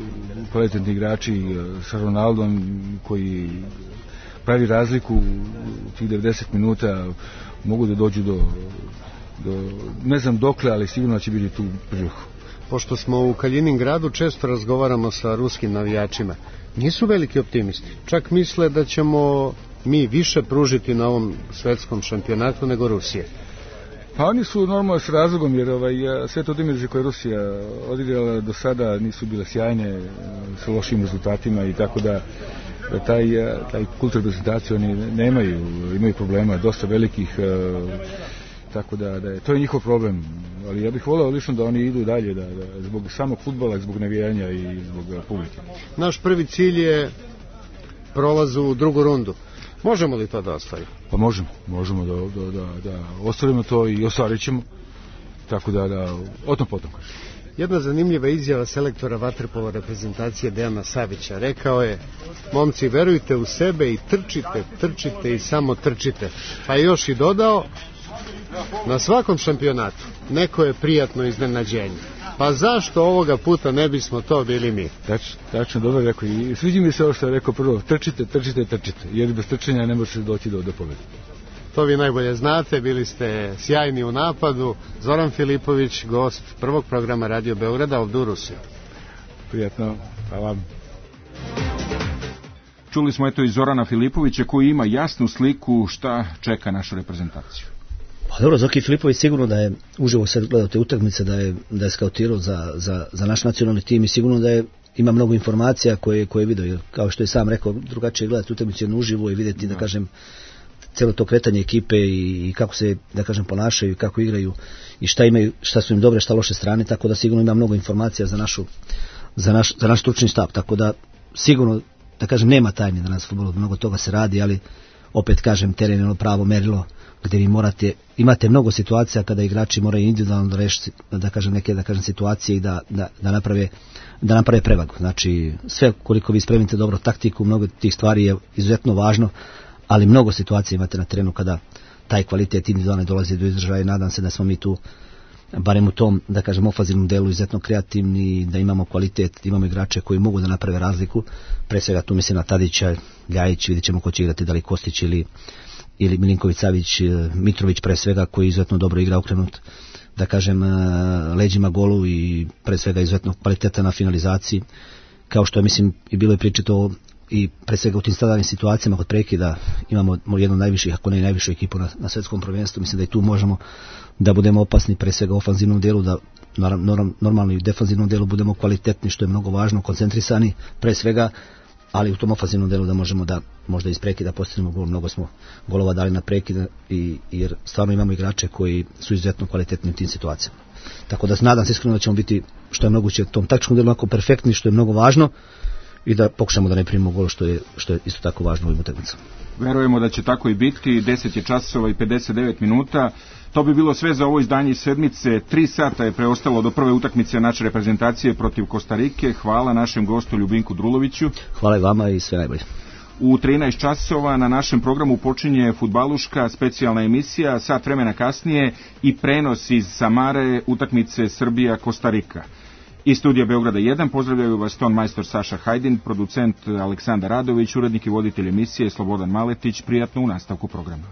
kvalitetni igrači sa Ronaldom koji pravi razliku u tih 90 minuta mogu da dođu do ne znam dokle, ali sigurno će biti tu priliku. Pošto smo u Kaliningradu, često razgovaramo sa ruskim navijačima. Nisu veliki optimisti. Čak misle da ćemo mi više pružiti na ovom svetskom šampionatu nego Rusije. Pa oni su normalno s razlogom, jer sve to dimenzije koje Rusija odigrala do sada nisu bile sjajne, sa lošim rezultatima, i tako da taj kult reprezentacije oni imaju problema, dosta velikih, tako da to je njihov problem. Ali ja bih voleo lično da oni idu dalje, da zbog samog fudbala, zbog navijanja i zbog publike. Naš prvi cilj je prolaz u drugu rundu. Možemo li to da ostvarimo? Pa možemo da ostvarimo to i ostvarit ćemo, tako da o tom potom. Jedna zanimljiva izjava selektora vaterpolo reprezentacije Dejana Savića. Rekao je: momci, verujte u sebe i trčite i samo trčite. Pa je još i dodao: na svakom šampionatu neko je prijatno iznenađenje. Pa zašto ovoga puta ne bismo to bili mi? Tačno, dobro rekao. I sviđa mi se ovo što je rekao prvo: trčite, jer bez trčanja ne može doći do pobjede. To vi najbolje znate, bili ste sjajni u napadu. Zoran Filipović, gost prvog programa Radio Beograda ovdje u Rusiji. Prijatno, hvala vam. Čuli smo i Zorana Filipovića koji ima jasnu sliku šta čeka našu reprezentaciju. Pa dobro, Zoki Filipović sigurno da je uživo sad gledao te utakmice, da je skautirao za naš nacionalni tim i sigurno da ima mnogo informacija koje je vidio. Kao što je sam rekao, drugačije gledati utakmicu uživo i vidjeti, da kažem, cijelo to kretanje ekipe i kako se, da kažem, ponašaju i kako igraju i šta imaju, šta su im dobre, šta loše strane, tako da sigurno ima mnogo informacija za naš stručni štab, tako da sigurno da kažem, nema tajne danas u fudbalu, mnogo toga se radi, ali opet kažem, teren je ono pravo merilo gdje vi imate mnogo situacija kada igrači moraju individualno da rešiti, da kažem, neke situacije i da naprave prevagu. Znači, sve koliko vi spremite dobro taktiku, mnogo tih stvari je izuzetno važno, ali mnogo situacija imate na terenu kada taj kvalitet individualno dolazi do izražaja i nadam se da smo mi tu, barem u tom, da kažem, ofanzivnom delu izuzetno kreativni, da imamo kvalitet, imamo igrače koji mogu da naprave razliku. Pre svega tu mislim na Tadića, Ljajić, vidjet ćemo ko će igrati, da li Kostić ili Milinković Savić, Mitrović pre svega koji izuzetno dobro igra okrenut, da kažem, leđima golu i pre svega izuzetno kvaliteta na finalizaciji, kao što je, mislim, i bilo je pričito i pre svega u tim standardnim situacijama kod prekida imamo jednu od najviših, ako ne i najvišu ekipu na svetskom prvenstvu. Mislim da i tu možemo da budemo opasni, pre svega u ofanzivnom delu, da normalno i u defanzivnom delu budemo kvalitetni, što je mnogo važno, koncentrisani pre svega, ali u tom ofanzivnom delu da možemo da možda iz prekida postignemo gol. Mnogo smo golova dali na prekida jer stvarno imamo igrače koji su izuzetno kvalitetni u tim situacijama. Tako da nadam se iskreno da ćemo biti što je moguće u tom taktičkom delu onako perfektni, što je mnogo važno, i da pokušamo da ne primimo gol, što je isto tako važno u ovim utakmicama. Verujemo da će tako i biti. 10 je časova i 59 minuta. To bi bilo sve za ovo izdanje sedmice. 3 sata je preostalo do prve utakmice naše reprezentacije protiv Kostarike. Hvala našem gostu Ljubinku Druloviću. Hvala i vama i sve najbolje. U 13 časova na našem programu počinje Fudbaluška specijalna emisija, sat vremena kasnije i prenos iz Samare utakmice Srbija-Kostarika. Iz studija Beograda 1 pozdravljaju vas ton majstor Saša Hajdin, producent Aleksandar Radović, urednik i voditelj emisije Slobodan Maletić. Prijatno u nastavku programa.